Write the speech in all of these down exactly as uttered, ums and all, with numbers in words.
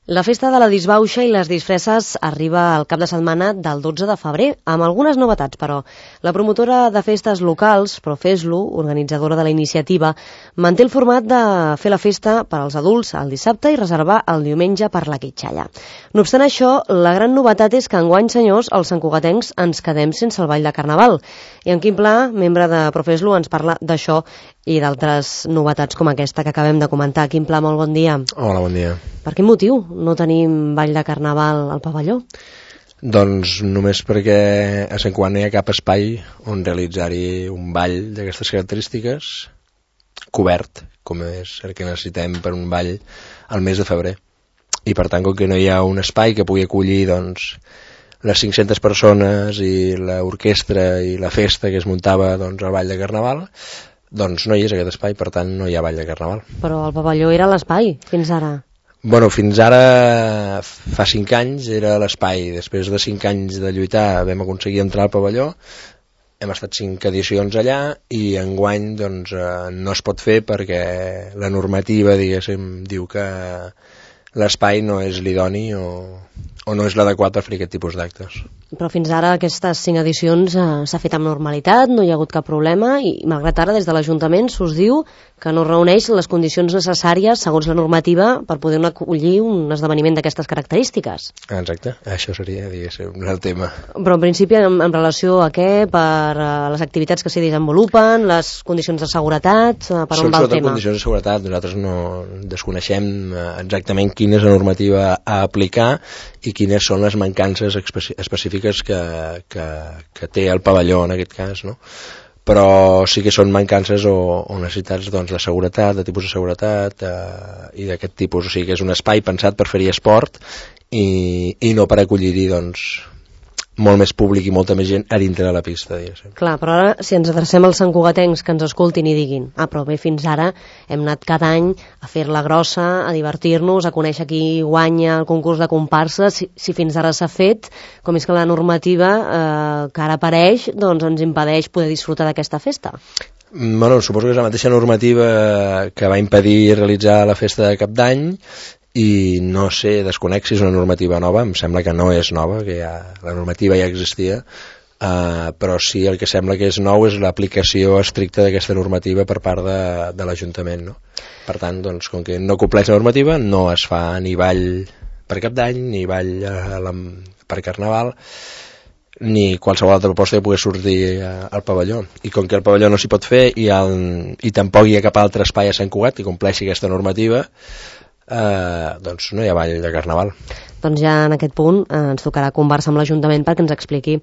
La festa de la disbauxa i les disfresses arriba al cap de setmana del dotze de febrer, amb algunes novetats, però. La promotora de festes locals, Profeslo, organitzadora de la iniciativa, manté el format de fer la festa per als adults el dissabte i reservar el diumenge per la quitxalla. No obstant això, la gran novetat és que enguany, senyors, els santcugatencs ens quedem sense el ball de Carnaval. I en Quim Pla, membre de Profeslo, ens parla d'això i d'altres novetats com aquesta que acabem de comentar. Quim Pla, molt bon dia. Hola, bon dia. Per quin motiu no tenim ball de Carnaval al pavelló? Doncs només perquè a Sant Cugat no hi ha cap espai on realitzar-hi un ball d'aquestes característiques cobert, com és el que necessitem per un ball al mes de febrer. I per tant, com que no hi ha un espai que pugui acollir doncs, les cinc-centes persones i l'orquestra i la festa que es muntava doncs, al ball de Carnaval, doncs no hi és aquest espai, per tant no hi ha ball de Carnaval. Però el pavelló era l'espai fins ara. Bueno, fins ara, fa cinc anys, era l'espai. Després de cinc anys de lluitar vam aconseguir entrar al pavelló, hem estat cinc edicions allà i enguany doncs, no es pot fer perquè la normativa, diguéssim, diu que l'espai no és l'idoni o, o no és l'adequat per fer aquest tipus d'actes. Però fins ara aquestes cinc edicions eh, s'ha fet amb normalitat, no hi ha hagut cap problema i malgrat ara des de l'Ajuntament s'us diu que no reuneix les condicions necessàries segons la normativa per poder acollir un esdeveniment d'aquestes característiques. Exacte, això seria, diguéssim, el tema. Però en principi en, en relació a què? Per uh, les activitats que s'hi desenvolupen, les condicions de seguretat, uh, per on va el tema? Són condicions de seguretat, nosaltres no desconeixem exactament quina és la normativa a aplicar i quines són les mancances específiques que, que, que té el pavelló en aquest cas, no? Però sí que són mancances o, o necessitats doncs, de seguretat, de tipus de seguretat eh, i d'aquest tipus, o sigui que és un espai pensat per fer-hi esport i, i no per acollir-hi doncs, molt més públic i molta més gent a dintre de la pista, diguéssim. Clar, però ara si ens adrecem als santcugatencs que ens escoltin i diguin ah, però bé, fins ara hem anat cada any a fer-la grossa, a divertir-nos, a conèixer qui guanya el concurs de comparsa, si, si fins ara s'ha fet, com és que la normativa eh, que ara apareix doncs ens impedeix poder disfrutar d'aquesta festa? Bueno, suposo que és la mateixa normativa que va impedir realitzar la festa de Cap d'Any i no sé, desconec si és una normativa nova, em sembla que no és nova, que ja, la normativa ja existia, uh, però sí el que sembla que és nou és l'aplicació estricta d'aquesta normativa per part de, de l'Ajuntament, no? Per tant, doncs, com que no compleix la normativa, no es fa ni ball per Cap d'Any, ni ball uh, la, per Carnaval, ni qualsevol altra proposta que pugui sortir uh, al pavelló. I com que el pavelló no s'hi pot fer i, el, i tampoc hi ha cap altre espai a Sant Cugat que compleixi aquesta normativa, Uh, doncs no hi ha ball de Carnaval. Doncs ja en aquest punt eh, ens tocarà conversar amb l'Ajuntament perquè ens expliqui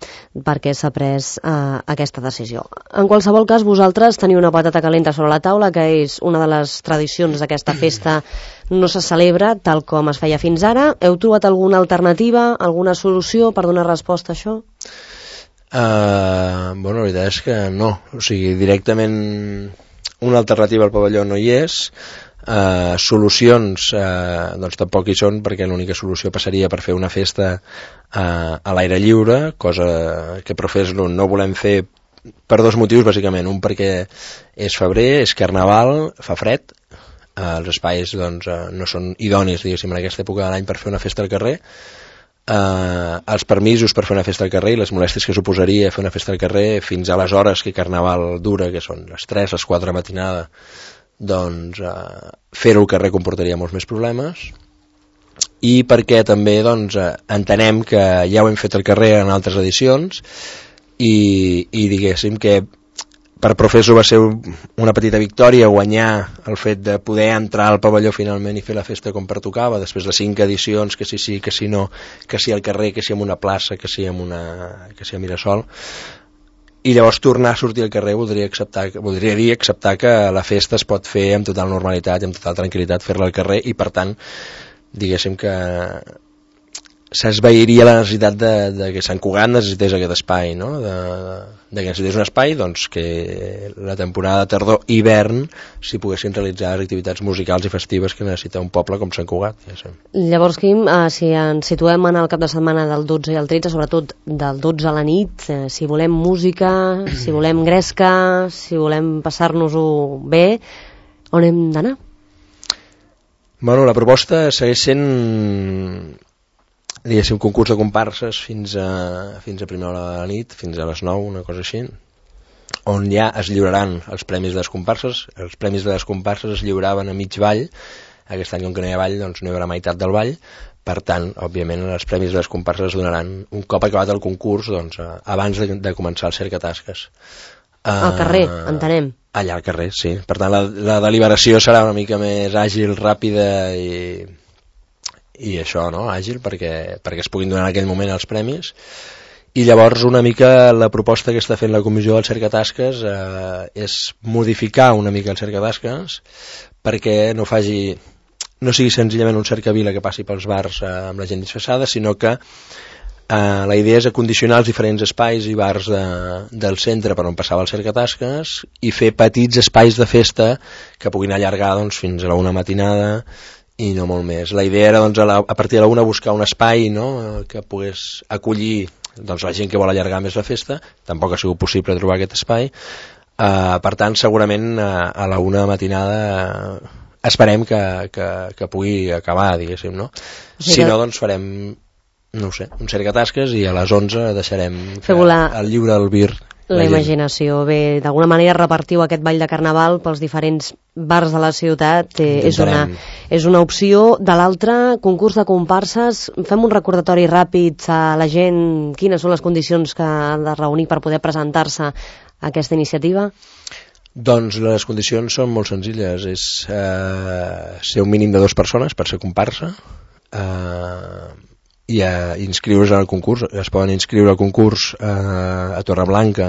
per què s'ha pres eh, aquesta decisió. En qualsevol cas, vosaltres teniu una patata calenta sobre la taula, que és una de les tradicions d'aquesta festa, no se celebra tal com es feia fins ara. Heu trobat alguna alternativa, alguna solució per donar resposta a això? Uh, bueno, la veritat és que no. O sigui, directament una alternativa al pavelló no hi és. Uh, solucions uh, doncs tampoc hi són, perquè l'única solució passaria per fer una festa uh, a l'aire lliure, cosa que Profeslo no volem fer per dos motius bàsicament. Un perquè és febrer, és Carnaval, fa fred, uh, els espais doncs, uh, no són idonis, diguéssim, en aquesta època de l'any per fer una festa al carrer. Uh, els permisos per fer una festa al carrer i les molèsties que suposaria fer una festa al carrer fins a les hores que Carnaval dura, que són les tres, les quatre de matinada, doncs eh, fer-ho al carrer comportaria molts més problemes, i perquè també doncs, eh, entenem que ja ho hem fet al carrer en altres edicions i, i diguéssim que per Profeslo va ser una petita victòria guanyar el fet de poder entrar al pavelló finalment i fer la festa com pertocava després de cinc edicions, que sí sí, que sí no, que sí al carrer, que sí en una plaça, que sí en una, que sí a Mirasol. I llavors tornar a sortir al carrer voldria, acceptar, voldria dir acceptar que la festa es pot fer amb total normalitat i amb total tranquil·litat, fer-la al carrer, i per tant diguéssim que s'esveiria la necessitat de, de que Sant Cugat necessités aquest espai, no? de, de que necessités un espai doncs, que la temporada tardor-hivern s'hi poguessin realitzar les activitats musicals i festives que necessita un poble com Sant Cugat. Ja sé. Llavors, Quim, eh, si ens situem en el cap de setmana del dotze i el tretze, sobretot del dotze a la nit, eh, si volem música, si volem gresca, si volem passar-nos-ho bé, on hem d'anar? Bueno, la proposta segueix sent, diguéssim, un concurs de comparses fins a, fins a primera hora de la nit, fins a les nou, una cosa així, on ja es lliuraran els premis de les comparses. Els premis de les comparses es lliuraven a mig ball. Aquest any, com que no hi ha ball, doncs no hi haurà meitat del ball. Per tant, òbviament, els premis de les comparses es donaran un cop acabat el concurs, doncs, abans de, de començar el cercatasques. Al carrer, uh, entenem. Allà al carrer, sí. Per tant, la, la deliberació serà una mica més àgil, ràpida i, i això, no? Àgil, perquè, perquè es puguin donar en aquell moment els premis. I llavors una mica la proposta que està fent la comissió del cercatasques eh, és modificar una mica el cercatasques perquè no faci, no sigui senzillament un cercavila que passi pels bars eh, amb la gent disfressada, sinó que Uh, la idea és acondicionar els diferents espais i bars de, del centre per on passava el cercatasques i fer petits espais de festa que puguin allargar doncs, fins a la una matinada i no molt més. La idea era doncs, a, la, a partir de la una buscar un espai, no?, que pogués acollir doncs, la gent que vol allargar més la festa. Tampoc ha sigut possible trobar aquest espai. Uh, per tant, segurament uh, a la una matinada uh, esperem que, que, que pugui acabar, diguéssim, no? Sí, si no, doncs farem... no ho sé, un cercatasques i a les onze deixarem la... el lliure albir la, la imaginació. Bé, d'alguna manera repartiu aquest ball de carnaval pels diferents bars de la ciutat, eh, és, una, és una opció. De l'altra, concurs de comparses, fem un recordatori ràpid a la gent, quines són les condicions que ha de reunir per poder presentar-se a aquesta iniciativa? Doncs les condicions són molt senzilles, és eh, ser un mínim de dues persones per ser comparsa, eh, i a inscriure's al concurs. Es poden inscriure al concurs eh, a Torreblanca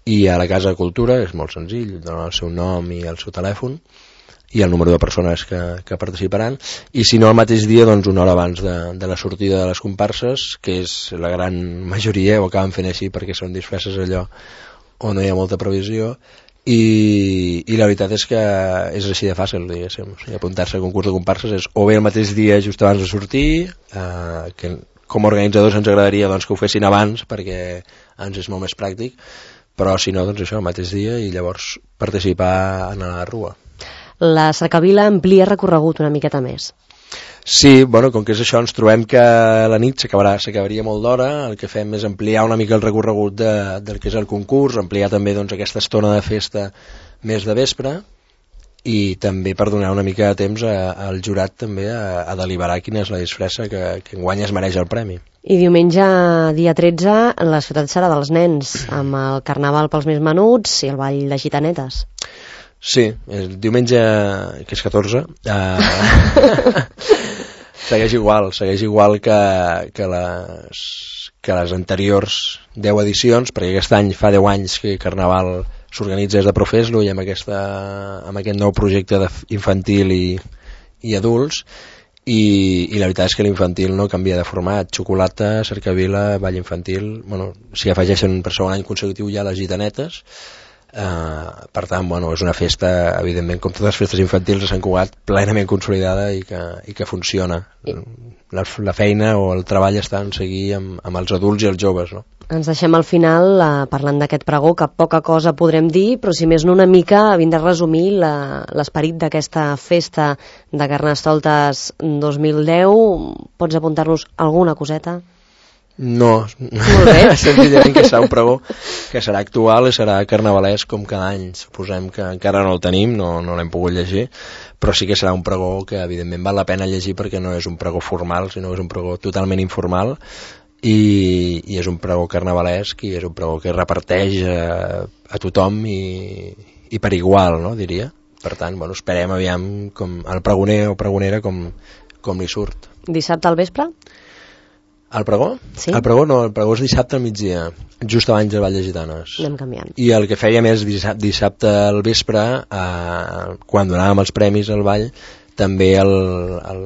i a la Casa de Cultura, és molt senzill, donen el seu nom i el seu telèfon i el número de persones que, que participaran, i si no el mateix dia, doncs una hora abans de, de la sortida de les comparses, que és la gran majoria, ho acaben fent així perquè són disfresses allò on no hi ha molta previsió. I, i la veritat és que és així de fàcil, diguéssim. O sigui, apuntar-se al concurs de comparses és o bé el mateix dia just abans de sortir, eh, que com a organitzadors ens agradaria doncs, que ho fessin abans perquè ens és molt més pràctic, però si no, doncs això, el mateix dia, i llavors participar en la rua. La cercavila amplia recorregut una miqueta més. Sí, bueno, com que és això, ens trobem que la nit s'acabarà, s'acabaria molt d'hora. El que fem és ampliar una mica el recorregut de, del que és el concurs, ampliar també doncs, aquesta estona de festa més de vespre, i també per donar una mica de temps a, al jurat també a, a deliberar quina és la disfressa que, que enguany es mereix el premi. I diumenge, dia tretze, la ciutat serà dels nens, amb el carnaval pels més menuts i el ball de gitanetes. Sí, el diumenge, que és catorze, eh, segueix igual, segueix igual que, que, les, que les anteriors deu edicions, perquè aquest any fa deu anys que Carnaval s'organitza des de Profeslo i amb, aquesta, amb aquest nou projecte infantil i, i adults, i, i la veritat és que l'infantil no canvia de format, xocolata, cercavila, ball infantil, bueno, s'hi afegeixen per segon any consecutiu ja les gitanetes. Uh, per tant, bueno, és una festa, evidentment, com totes les festes infantils de Sant Cugat, plenament consolidada i que, i que funciona. La, la feina o el treball està en seguir amb, amb els adults i els joves, no? Ens deixem al final uh, parlant d'aquest pregó, que poca cosa podrem dir, però si més no una mica havent de resumir l'esperit d'aquesta festa de Carnestoltes dos mil deu. Pots apuntar-nos alguna coseta? No, senzillament que serà un pregó que serà actual i serà carnavalesc com cada any. Suposem que encara no el tenim, no, no l'hem pogut llegir, però sí que serà un pregó que evidentment val la pena llegir perquè no és un pregó formal, sinó que és un pregó totalment informal, i, i és un pregó carnavalesc i és un pregó que reparteix a, a tothom i, i per igual, no, diria. Per tant, bueno, esperem aviam com el pregoner o pregonera com, com li surt. Dissabte al vespre? El pregó? Sí. El pregó no, el pregó és dissabte al migdia, just abans del Ball de Gitanes. Anem canviant. I el que fèiem és dissabte, dissabte al vespre, eh, quan donàvem els premis al ball, també el, el,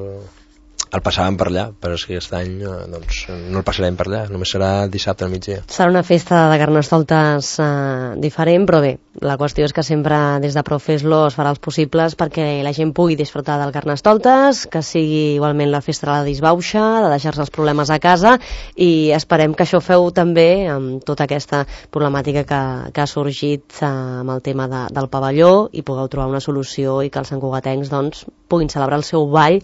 el passàvem per allà, però és que aquest any doncs, no el passarem per allà, només serà dissabte al migdia. Serà una festa de Carnestoltes eh, diferent, però bé, la qüestió és que sempre des de Profeslo es farà els possibles perquè la gent pugui disfrutar del Carnestoltes, que sigui igualment la festa de la disbauxa, de deixar-se els problemes a casa, i esperem que això feu també amb tota aquesta problemàtica que, que ha sorgit eh, amb el tema de, del pavelló, i pugueu trobar una solució i que els santcugatencs doncs, puguin celebrar el seu ball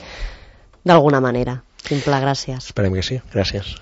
d'alguna manera. Simple, gràcies. Esperem que sí, gràcies.